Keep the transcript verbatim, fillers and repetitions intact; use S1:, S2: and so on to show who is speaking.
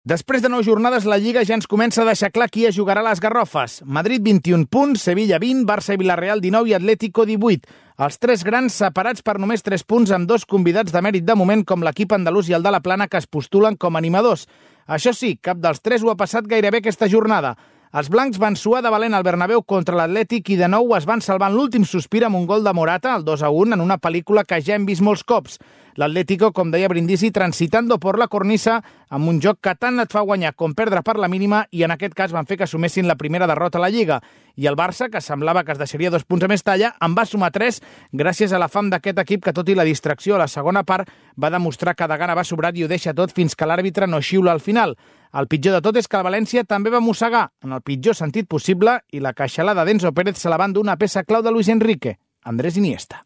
S1: Després de nou jornades, la Lliga ja ens comença a deixar clar qui es jugarà a les Garrofes. Madrid, vint-i-un punts, Sevilla, vint, Barça i Villarreal, dinou i Atlético, divuit. Els tres grans separats per només tres punts amb dos convidats de mèrit de moment com l'equip andalús i el de la Plana que es postulen com a animadors. Això sí, cap dels tres ho ha passat gairebé aquesta jornada. Els blancs van suar de valent al Bernabéu contra l'Atlètic i de nou es van salvar en l'últim sospir amb un gol de Morata, el dos a un, en una pel·lícula que ja hem vist molts cops. L'Atlético, com deia Brindisi, transitando por la cornisa amb un joc que tant et fa guanyar com perdre per la mínima i en aquest cas van fer que assumessin la primera derrota a la Lliga. I el Barça, que semblava que es deixaria dos punts a més talla, en va sumar tres gràcies a la fam d'aquest equip que, tot i la distracció a la segona part, va demostrar que de gana va sobrat i ho deixa tot fins que l'àrbitre no xiula al final. El pitjor de tot és que el València també va mossegar, en el pitjor sentit possible, i la queixalada d'Enzo Pérez se la va endur una peça clau de Luis Enrique, Andrés Iniesta.